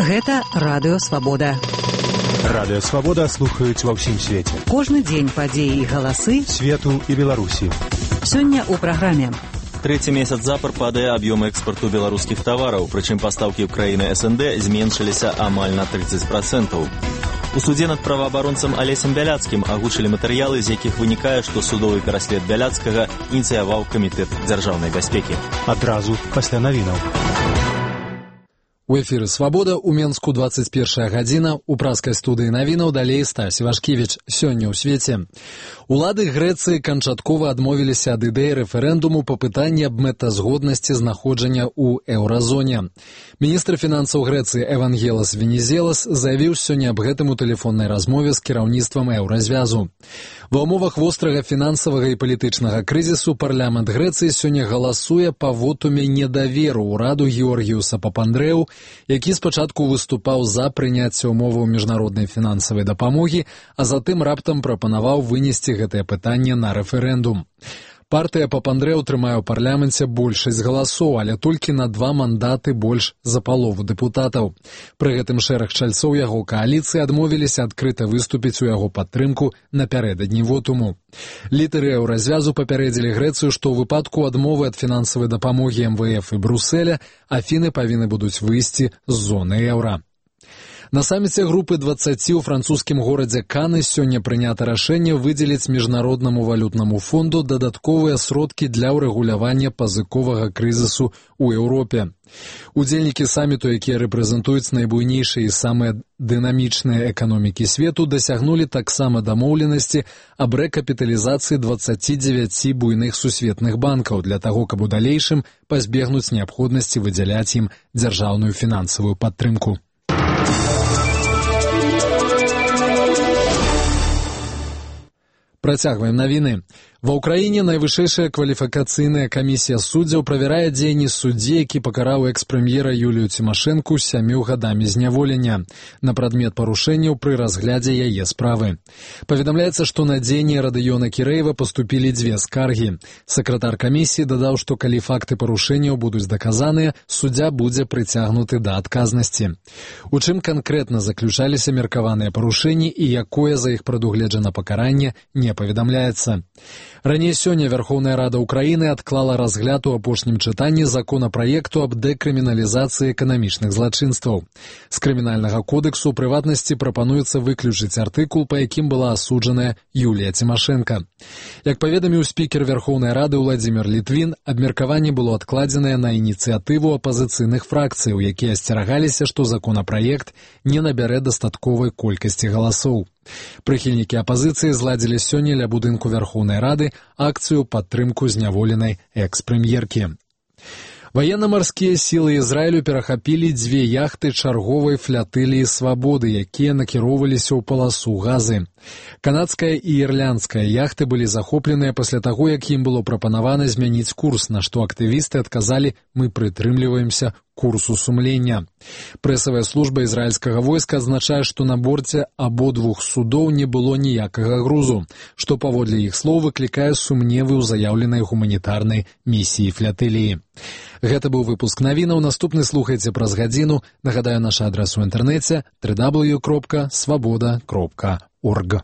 Гэта Радыё Свабода. Радыё Свабода слухаюць ва ўсім свеце. Кожны дзень падзеі і галасы свету і Беларусі. Сёння ў праграме. Трэці месяц запар падае аб'ём экспарту беларускіх тавараў, прычым пастаўкі ў краіны СНД зменшыліся амаль на 30%. У судзе над праваабаронцам Алесем Бяляцкім агучылі матэрыялы, з якіх вынікае, што судовы пераслед Бяляцкага ініцыяваў камітэт дзяржаўнай бяспекі. Адразу пасля навінаў. У эфіры «Свабода» у Менску 21 гадзіна. У праскай студыі навінаў далей Стась Івашкевіч. Сёння ў свеце. Улады Грэцыі канчаткова адмовіліся ад ідэі рэферэндуму па пытанні аб мэтазгоднасці знаходжання ў еўразоне. Міністр фінансаў Грэцыі Евангелас Венізелас заявіў сёння аб гэтым у тэлефоннай размове з кіраўніцтвам еўразвязу. Ва ўмовах вострага фінансавага і палітычнага крызісу парламент Грэцыі сёння галасуе па вотуме недаверу ўраду Георгіуса Папандрэу, які спачатку выступаў за прыняцце ўмоваў міжнароднай фінансавай дапамогі, а затым раптам прапанаваў вынесці гэтае пытанне на рэферэндум. Партыя Папандрэу трымае ў парламенце большасць галасоў, але толькі на 2 мандаты больш за палову дэпутатаў. Пры гэтым шэраг чальцоў яго кааліцыі адмовіліся адкрыта выступіць у яго падтрымку напярэдадні вотуму. Лідары еўразвязу папярэдзілі Грэцыю, што ў выпадку адмовы ад фінансавай дапамогі МВФ і Брюсселя Афіны павінны будуць выйсці з зоны еўра. На саміце групы 20 у французскім горадзе Каны сёння прынята рашэнне выдзеліць Міжнароднаму валютнаму фонду дадатковыя сродкі для ўрэгулявання пазыковага крызісу ў Еўропе. Удзельнікі саміту, якія рэпрэзентуюць найбуйнейшыя і самыя дынамічныя эканомікі свету, дасягнулі таксама дамоўленасці аб рэкапіталізацыі 29 буйных сусветных банкаў для таго, каб у далейшым пазбегнуць неабходнасці выдзяляць ім дзяржаўную фінансавую падтрымку. Працягваем навіны. Ва ўкраіне найвышэйшая кваліфікацыйная камісія суддзяў правярае дзеянні суддзі, які пакараў экс-прэм'ера Юлію Цімашэнку 7 гадамі зняволення на прадмет парушэнняў пры разглядзе яе справы. Паведамляецца, што на дзеянні Радыёна Кірэева паступілі 2 скаргі. Сакратар камісіі дадаў, што калі факты парушэнняў будуць даказаныя, суддзя будзе прыцягнуты да адказнасці. У чым канкрэтна заключаліся меркаваныя парушэнні і якое за іх прадугледжана пакаранне, не паведамляецца. Раней сёння Верховная Рада Украіны адклала разгляд у апошнім чытанні законапраекту аб дэкрыміналізацыі эканамічных злачынстваў. З крымінальнага кодексу, у прыватнасці, прапануецца выключыць артыкул, па якім была асуджаная Юлія Цімашэнка. Як паведаміў спікер Верховнай Рады Владзімір Літвін, абмеркаванне было адкладзенае на ініцыятыву апазіцыйных фракцыяў, якія асцерагаліся, што законапраект не набярэ дастатковай колькасці галасоў. Прыхільнікі апазіцыі зладзілі сёння ля будынку Верховнай Рады акцыю падтрымку зняволенай экс-прэм'еркі. Ваенна-марскія сілы Ізраілю перахапілі 2 яхты чарговай флятыліі «Свабоды», якія накіроўваліся ў паласу Газы. Канадская і ірландская яхты былі захопленыя пасля таго, як ім было прапанавана змяніць курс, на што актывісты адказалі: «Мы прытрымліваемся курсу сумлення». Прэсавая служба ізраільскага войска адзначае, што на борце абодвух судоў не было ніякага грузу, што паводле іх слоў выклікае сумневы ў заяўленай гуманітарнай місіі флятыліі. Гэта быў выпуск навінаў. Наступны слухайце праз гадзіну. Нагадаю, наш адрас у інтэрнэце www.swaboda.org.